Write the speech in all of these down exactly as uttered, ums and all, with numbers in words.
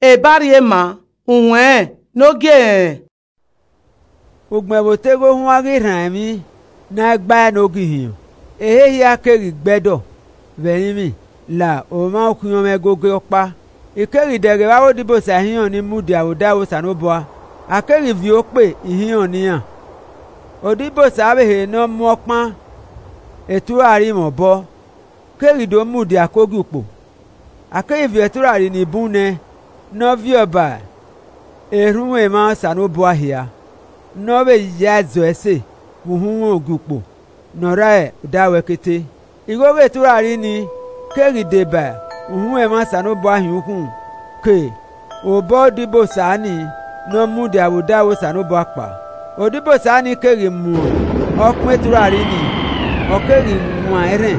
Ebarriema, uwẹn ne ogie ẹnrẹn. Ugbẹn vbe oteghe ohuan ghi rhan emwi na gbae ne ogi hiọn, ehe hia keghi gbe ẹdọ vbe ẹrinmwi la omwa ukhiọnmwẹ ẹgogo ọkpa. I keghi dẹghe vbe avbe odibosa ihiọn ni mudia vbe odaro Osanobua, a keghi viọ okpe ihiọn ne iran. Odibosa vbe ehe ne ọ mu ọkpan eturari mwẹ obọ keghi do mudia ke ogiukpo. A keghi viọ eturari ni bun nẹ, ne ọ viọ ba erhunmwu emwa Osanobua hia, ne ọ vbe ya zọ ẹse vbe uhunmwu ogiukpo ne ọ rre odaro ẹkete. Igho ghe eturari ni keghi deba uhunmwu emwa Osanobua hin ukhun ke obọ odibosa ni ne ọ mudia vbe odaro Osanobua kpao. Odibosa ni keghi mu ọkpan eturari ni, ọ keghi wan erhẹn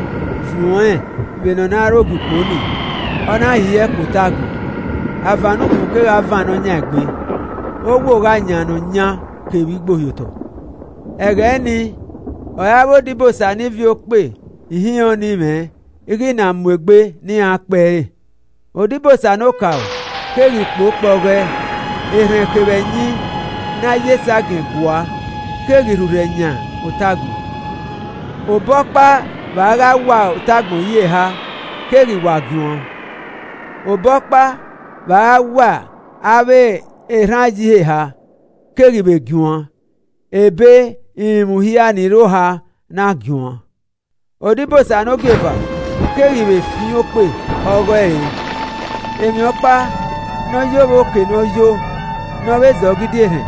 vuọn ẹn vbene ọ na rre ogiukpo ni, ọ na hiẹ kpe otagbọn. Avan ne ukhun kegha van ne ọ yan egbe, owo gha yan ne ọ yan kevbe igbo hiotọ. Ẹghẹ nii, ọre avbe odibosa ni viọ okpe ihiọn ni mwẹ i ghi na mu egbe ne iran kpẹre. Odibosa ne okaro keghi kpo kpọghẹ, erhẹn kevbe ẹyin ne a ye esagiẹn gua keghi rhurhẹ yan otagbọn. Obọ ọkpa vbe a gha wa otagbọn yi eha keghi wa guan. Obọ ọkpa vbe a gha wa avbe erhan yi eha keghi vbe guan, ebe irinmwi hia ni rre oha na guan. Odibosa ne ogieva keghi vbe fian okpe ọghọe re. Emwi ọkpa ne ọ yo vbe oke ne ọ yo ne ọ vbe zẹ ọgidi erhẹn,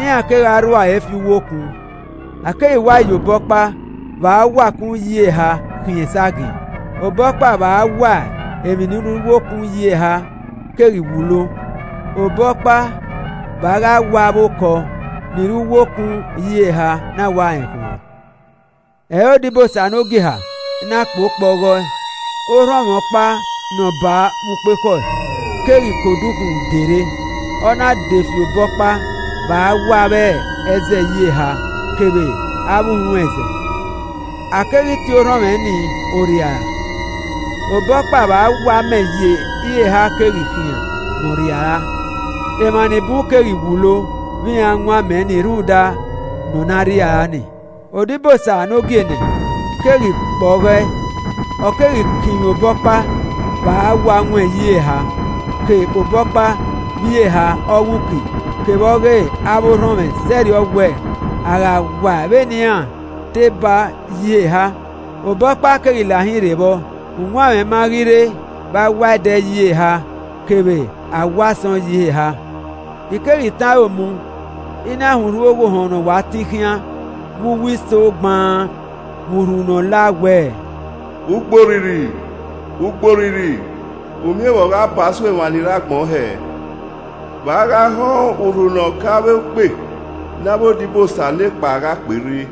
iran kegha rua ẹre fi uwu okun. A keghi wa ye obọ ọkpa vbe a wa kun yi eha khian esagiẹn. Obọ ọkpa vbe a wa emwi ne u rre uwu okun yi eha keghi wulo. Obọ ọkpa vbe a gha wa avbe okọ ni rre uwu okun yi eha na wa rẹn khuan. Ẹre odibosa ne ogie eha na kpo kpọghọe, orhọnmwẹ ọkpa ne ọ ba vbe ukpekhọe keghi ke odukhunmwu de rre, ọ na de fi obọ ọkpa vbe a wa avbe ẹzẹ yi eha kevbe avbe uhunmwu ẹzẹ. A keghi tie orhọnmwẹ ni orriara. Obọ ọkpa vbe a wa amẹ yi eha keghi khian ne ọ rriara. Emwa ni bun keghi wulo vbe iran wan amẹ ni rhunmwuda ne ọ na rriara ni. Odibosa ne ogie nẹ keghi kpọghọe, ọ keghi kinmwi obọ ọkpa vbe a wa wan yi eha, ke obọ ọkpa vbe eha ọghe uki kevbe ọghe avbe orhọnmwẹ zẹrriọ wẹ a gha wa vbene iran te ba yi eha. Obọ ọkpa keghi la hin rre vbọ, uwanmwẹ ma ghi rre vbe a wa ẹdẹ yi eha kevbe a wa asọn yi eha. I keghi tan aro mu, I na hunrhu oghohọn ne ọ wa tin khian vbe uwu iso gbaan vbe urhunmwu ne ọ la wẹẹ, Ugborhirhi, ugborhirhi, umiẹn vbe ọ gha ba aso emwa ni rre agbọn hẹ? Vbe a gha họn urhu ne ọ ka avbe ukpe ne avbe odibosa nekpa gha kperre?